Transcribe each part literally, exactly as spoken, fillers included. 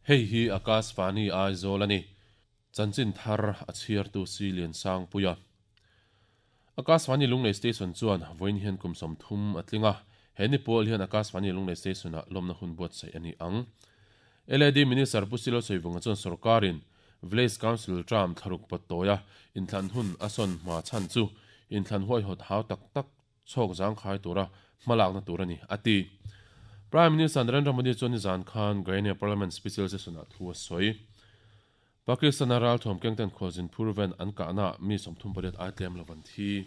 Hei hi Akashvani Aizawl a ni. Chanchin thar a chhiartu si lian sang puia. Akashvani Lunglei Station chuan vawiin hian kum sawmthum a tling a, he ni pawl hian Akashvani Lunglei Station ah lawmna hun buatsaih a ni ang. L A D Minister Pu Silo Soivunga chuan sorkarin Village Council term thlaruk pawt tawia inthlan hun a sawn hma chhan chu inthlan huaihawt hau tak tak chhawk zangkhai tura hmalakna tur a ni, a ti. Prime Minister Narendra Modi chuan nizan khan Guyana Parliament Special Session ah thu a sawi. Pakistan-a ralthuam kengten khualzin phur ven an kahna mi sawmthum pariat ai tlem lo an thi.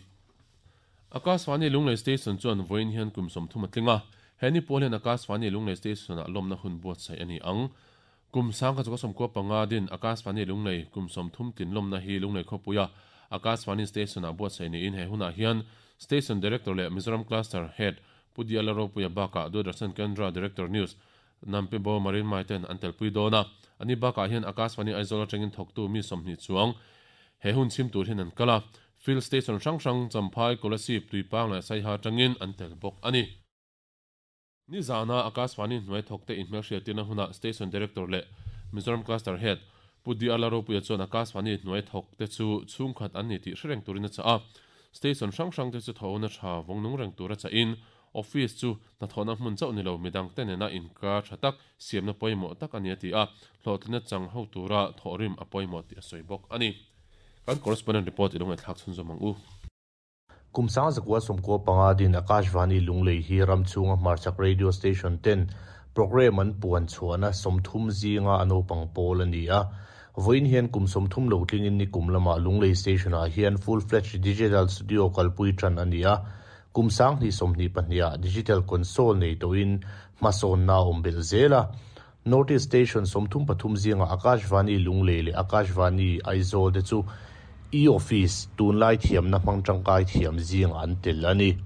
Akashvani Lunglei Station chuan vawiin hian kum sawmthum a tling a, he ni pawl hian Akashvani Lunglei Station-ah lawmna hun buatsaih a ni ang. Kum sangkhat zakua sawmkua panga din Akashvani Lunglei kum sawmthum tlin lawmna hi Lunglei khawpuia Akashvani Station-ah buatsaih niin he hunah hian Station Director leh Mizoram Cluster Head Pu Diala Ropuia bakah Doordarshan Kendra Director News Nampibo Marin Maiten an telpui dawn a. Ani bakah hian Akashvani Aizawl atangin thawktu mi sawmhnih chuang he hun chhim tur hian an kal a. Field Station hrang hrang Champhai, Kolasib, Tuipang leh Saiha atangin an tel bawk a ni. Nizana Akashvani hnuai thawkte inhmelhriattirna hunah Station Director leh Mizoram Cluster Head Pu Diala Ropuia chuan Akashvani hnuai thawkte chu chhungkhat an ni tih hre reng turin a chah a. Station hrang hrangte chu thawhna tha vawng nung reng tur a chahin Office chu hnathawhna hmun chauh ni lo midangte nena inkar tha tak siamna pawimawh tak a ni a ti a, hlawhtlinna chang ho tura thawhrim a pawimawh tih a sawi bawk a ni. Kan correspondent report i lo ngaihthlak chhunzawm ang u. Kum sang zakua sawmkua panga din Akashvani Lunglei hi ram chhunga hmarchhak radio station ten programme an puan chhuahna sawmthum zinga a naupang pawl a ni a. Vawiin hian kum sawmthum lo tlingin nikum lamah Lunglei station ah hian full fledged digital studio kalpui tan a ni a. Kum sanghnih sawmhnih pahnih digital console nei tawhin hmasawnna awm belh zel a. North East Station sawmthum pathum zinga Akashvani Lunglei leh Akashvani Aizawl te chu e-office tunlai thiamna hmang tangkai thiam zinga an tel a ni.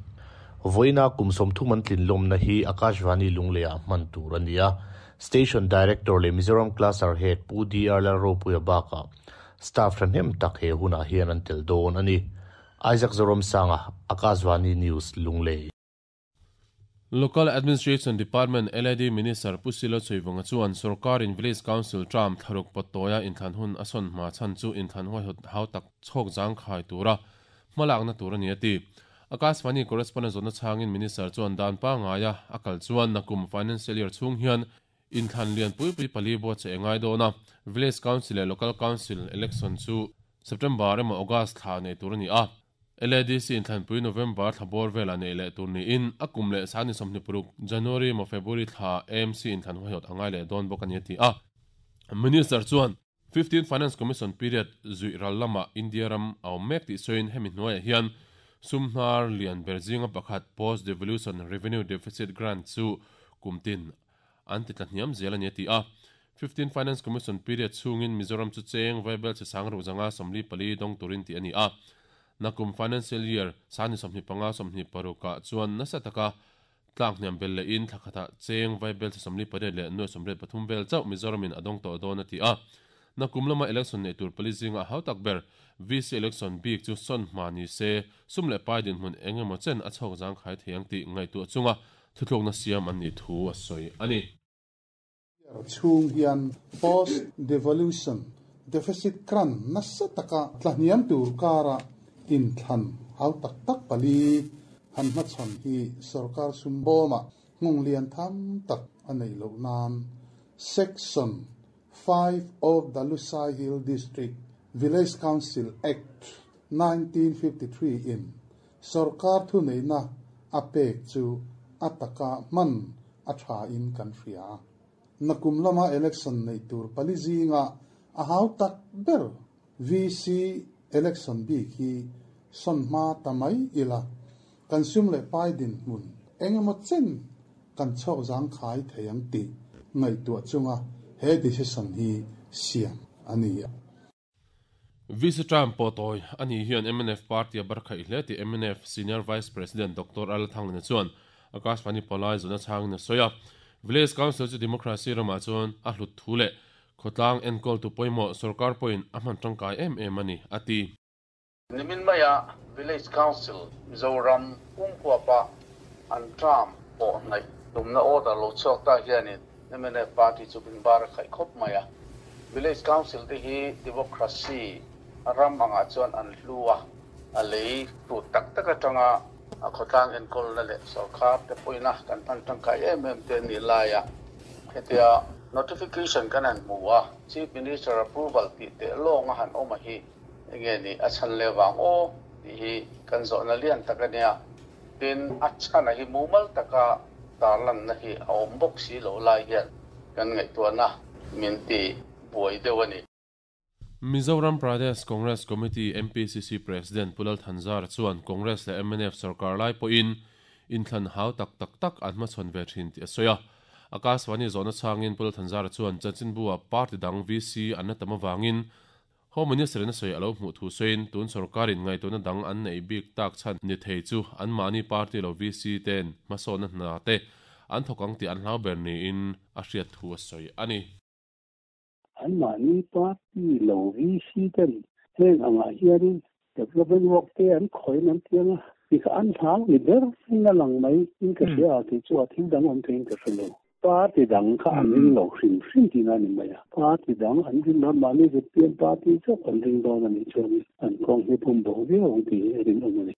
Vawiina kum sawmthum an tlin lawmna hi Akashvani Lunglei ah hman tur a ni a. Station Director leh Mizoram Cluster Head Pu D R Lalropuia bakah staff thahnem tak he hunah hian an tel dawn a ni. Isaac Zoramsanga, Akashvani News, Lunglei. Local Administration Department, L A D Minister Pu Silo Soivunga chuan sorkarin Village Council term thlaruk pawt tawia inthlan hun a sawn hma chhan chu inthlan huaihawt hau tak chhawk zangkhai tura hmalakna tur a ni a ti. Akashvani correspondent zawhna chhangin Minister chuan dan pangaia a kal chuan nakum financial year chhung hian inthlan lian pui pui pali buatsaih a ngai dawn a. Village Council leh Local Council election chu September emaw August thla nei tur a ni a. L A D C inthlanpui November thla bawr velah nei leh tur niin a kum leh sangni sawmhnih paruk January emaw February thla A M C inthlan huaihawt a ngai leh dawn bawk a ni a ti a. Minister chuan fifteen Finance Commission period zui ral lamah India ram a awm mek tih sawiin hemi hnuaiah hian sumhnar lian ber zinga pakhat post devolution revenue deficit grant chu kumtin an ti tla hniam zel a ni a ti a. fifteen Finance Commission period chhungin Mizoram chu cheng vaibelchhe sangruk zanga sawmli pali dawng turin tih a ni a. Nakum financial year sangni sawmhnih panga sawmhnih parukah chuan nasa taka tlak hniam bel leh in thlakhatah cheng vaibelchhe sawmli pariat leh nuai sawmriat pathum vel chauh Mizoramin a dawng tawh dawn a ti a. Nakum lama election nei tur pali zinga hau tak ber V C election bik chu sawn hma ni se sum leh pai dinhmun eng emaw chen a chhawk zangkhai thei ang tih ngaihtuah chunga thuthlukna siam an nih thu a sawi a ni. Chhung hian post devolution deficit grant nasa taka tlahniam tur kara inthlan hau tak tak pali han hmachhawn hi sarkar sumbawma hmung lian tham tak a nei loh nan Section five of the Lushai Hill District Village Council Act nineteen fifty-three in sarkar thu neina a pek chu ataka man a tha in kan hria. Nakum lama election nei tur pali zinga a hau tak ber V C election bik hi sawn hma tamai ila kan sum leh pai din hmun engemaw chen kan chhawk zang khai thei ang tih ngaihtuah chunga he decision hi siam a ni. V C term pawh tawi ani hian M N F party a bar khaih hle tih M N F Senior Vice President Doctor Al Thanglina chuan Akashvani palai zawhna chhangin a sawi a. Village Council chu democracy ramah chuan a hlut thu leh khawtlang enkawl tu pawimawh sarkar pawhin a hman tangkai em em a ni a ti. Nimin maya Village Council Mizoram pumhuapa an term pawh hnaih tumna order lo chhuak ta hianin M N F party chu bin bar khai khop maya. Village council te hi democracy ram anga chuan an hluwa a lei tu tak tak atanga a khotlang en kol na le sarkar te poina kan tan tangkai em em te ni laia hetia notification kan an muwa chief minister approval ti te long a han oma hi enge ni a chan le wang o ti hi kan zo na lian takania tin a chana hi mumal taka tarlan na hi a om bok si lo lai hian kan ngai tu na min ti buai dewani. Mizoram Pradesh Congress Committee M P C C President Pu Lal Thanzara chuan Congress le M N F sarkar lai pawhin inthlan hau tak tak tak an hmachhawn ve thin tih a sawi a. Akashvani zawhna changin Pu Lal Thanzara chuan chanchinbu-ah party dang V C an la tam avangin Home Minister in a sawi a lo hmuh thu sawiin tun sarkarin ngaihtuahna dang an nei bik tak chhan ni thei chu anmahni party lo V C ten hmasawnna hna te an thawk ang tih an hlau ber niin a hriat thu a sawi a ni. An mahni party lo V C ten heng anga hianin development work te an khoin an tianga ti kha an hlau ni ber in a lang mai in ka hria ti chu a thil dang awm theiin ka hrelo. Party dang kha an ring lo hrim hrim ti na ni mai a. Party dang an ring lo, mahni Z P M party chauh an ring dawn ani chuan an kawng hi pum bo viau ang ti a rin awm ani.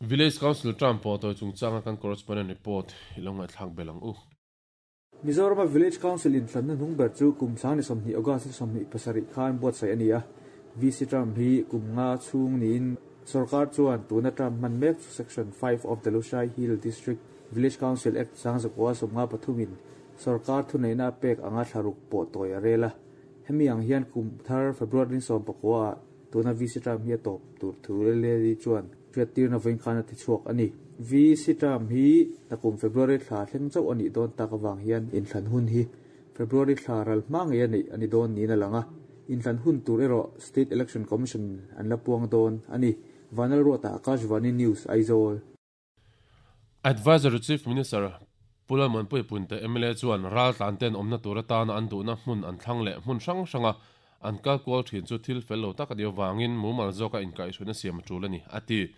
Village Council term pawh tawi chungchanga kan correspondent report i lo ngaihthlak bel ang u. Mizoram Village Council in thlanna hnung ber chu kum sang ni sawmhnih August sawmhnih pasarih khan buatsaih a ni a. V C term hi kum nga chhung niin sarkar chuan tuna term hman mek chu Section five of the Lushai Hill District Village Council Act sang zakua sawmnga pathumin sarkar thuneihna pek anga thlaruk pawh tawi a rel a. Hemi ang hian kum thar February sawm pakua tuna V C term hi a tawp tur thu le li chuan hriattirna vawiin khan a ti chhuak a ni. V C term hi takum February thla thleng chauh ani dawn tak awang hian inthlan hun hi February thla ral hma ngei ani ani dawn niin a lang a. Inthlan hun tur erawh State Election Commission an la puang dawn ani. Vanal Ruata, Akashvani News, Aizawl. Advisor to Chief Minister Pu Lalmuanpuia Punte M L A chuan ral tlan ten awmna tur atana an duhna hmun an thlang leh hmun hrang hranga an kal kual thin chu thil fel lo tak ani awangin mumal zawka inkaihhruaina siam a tul ani a ti.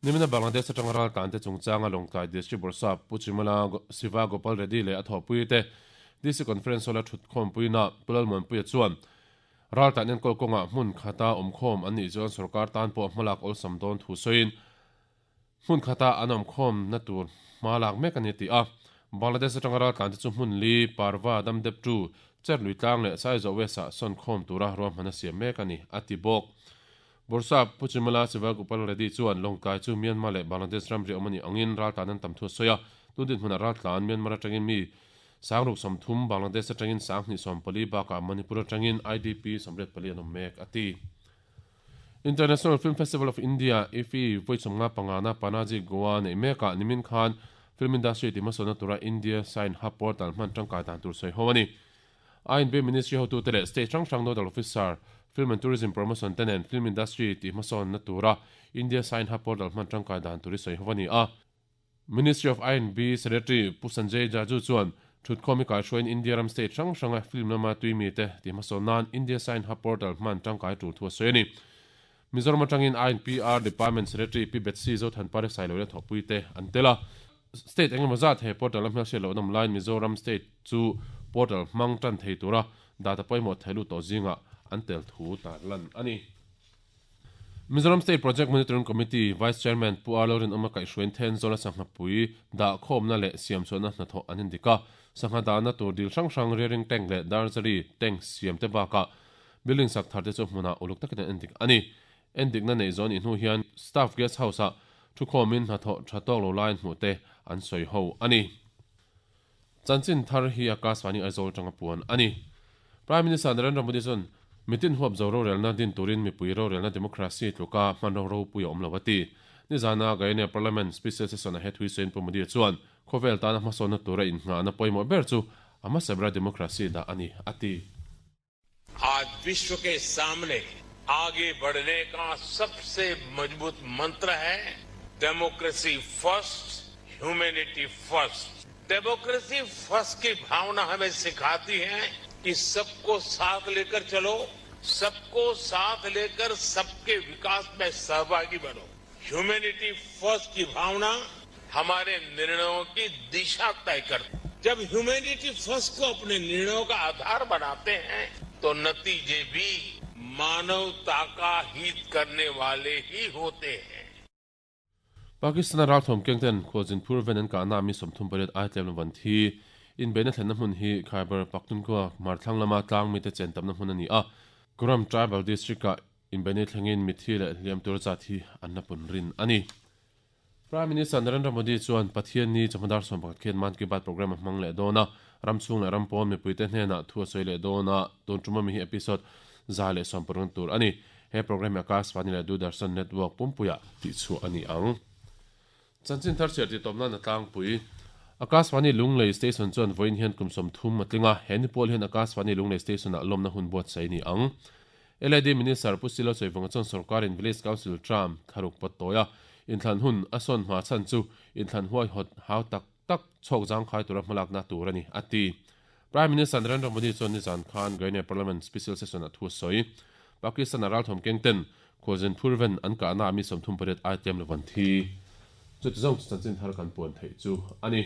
Nimina Bangladesh atanga ral tlan te chungchanga Lawngtlai District Bawrhsap Pu Chimala Siva Gopal Reddy leh a thawhpui te D C Conference Hall a thut khawmpuina Pu Lalmuanpuia chuan ral tlan enkawl kawnga hmun khata awmkhawm an nih chuan sarkar tan pawh hmalak awlsam dawn thu sawiin hmun khata an awmkhawm na tur hma lak mek ani ti a. Bangladesh atanga ral tlan te chu hmun li Parva Damdep tu Cherlui tlang leh Saizawh West ah sawn khawm tura ruahman a siam mek ani a ti bawk. Bawrhsap Pu Chimala Siva Gopal Reddy chuan Lawngtlai chu Myanmar leh Bangladesh ramri awm ani angin ral tlan an tam thu a sawi a. Tun dinhmunah ral tlan Myanmar atangin mi sangruk sawmthum, Bangladesh atangin sanghnih sawm pali bakah Manipur atangin I D P sawmriat pali an awm mek a ti. International Film Festival of India I F F I vawi sawmnga pangana Panaji Goa nei mekah nimin khan film industry ti hmasawnna tura India Cine Hub portal hman tangkai dan tur sawi ho ani. I N B Ministry hotu te leh state hrang hrang nodal officer film and tourism promotion tenen film industry ti hmasawnna tura India Cine Hub portal hman tangkai dan tur sawi ho ani a. Ministry of I N B Secretary Pu Sanjay Jaju chuan thutkhawmi kai hruain India ram state hrang hranga film lama tuimi te ti hmasawn nan India Cine Hub portal hman tangkai tur thu a sawi ani. Mizoram atangin I N P R Department Secretary Pi Betsy Zothanpari Sailo le thawhpui te an tel a. State engemaw zat he portal a hmelhriat loh an awm laiin Mizoram state chu portal hmang tan thei tura data pawimawh theilu tawh zinga an tel thu tar lan ani. Mizoram State Project Monitoring Committee Vice Chairman Pu Arlo Rin Awma kaihhruain Thenzawl a sangha pui dah khawmna leh siam chhuahna hnathawh an indik a. Sangha dahna tur dil hrang hrang, rearing tank leh darzari tank siam te bakah building sak thar te chu hmunah uluk takin an endik ani. Endikna nei zawn i hnu hian staff guest house ah thu khawmin hnathawh tha tawk lo laiin hmuh te an sawi ho ani. Chanchin thar hi Akashvani Aizawl tanga puan ani. Prime Minister Narendra Modi chuan mitin huap zo rorelna din turin mipui rorelna democracy tluka hman ro ro pui awm lo ati. Nizana Guyana Parliament special session a he thui sawiin Pu Modi chuan khawvel tana hmasawnna tura inngahna pawimawh ber chu a hmasa bera democracy dah ani ati. आज विश्व के सामने आगे बढ़ने का सबसे मजबूत मंत्र है democracy first, humanity first. Democracy first की भावना हमें सिखाती है कि सबको साथ लेकर चलो, सबको साथ लेकर सबके विकास में सहभागी बनो। ह्यूमैनिटी फर्स्ट की भावना हमारे निर्णयों की दिशा तय करती। जब ह्यूमैनिटी फर्स्ट को अपने निर्णयों का आधार बनाते हैं तो नतीजे भी मानवता का हित करने वाले ही होते हैं। Pakistan ral thom kengten khojin phurven an ka na mi somthum pariat ai tlem van thi in bena thlen na hmun hi Khyber Pakhtunkhwa marthlang lama tlang mi te chen tam na hmun ani a Kuram tribal district ka in bene thlengin mithi le hliam tur cha thi an na pun rin ani. Prime Minister Narendra Modi chuan Pathian ni chamadar som pakhat khen Man Ki Baat program hmang le dona ramchung le rampon mi puite hnena thu soi le dona ton tuma mi hi episode za le som parun tur ani. He program Akashvani le Doordarshan network pumpuya ti chu ani ang. Chanchin thar cher ti tomna na tlang pui Akashvani Lunglei station chuan voin hian kum som thum matlinga heni pol hian Akashvani Lunglei station a lomna hun buat sai ni ang. L I D Minister Pusilo Choivanga chuan sarkar in Village Council tram tharuk pattoya inthlan hun ason hma chan chu inthlan huai hot hau tak tak chok jang khai tura hmalak na tur ani ati. Prime Minister Narendra Modi chuan ni zan khan Gaine Parliament Special Session a thu soi Pakistan ral thom kengten khojin phurven an ka na mi somthum pariat ai tlem levan thi chu zong chanchin thar kan puan thei chu ani.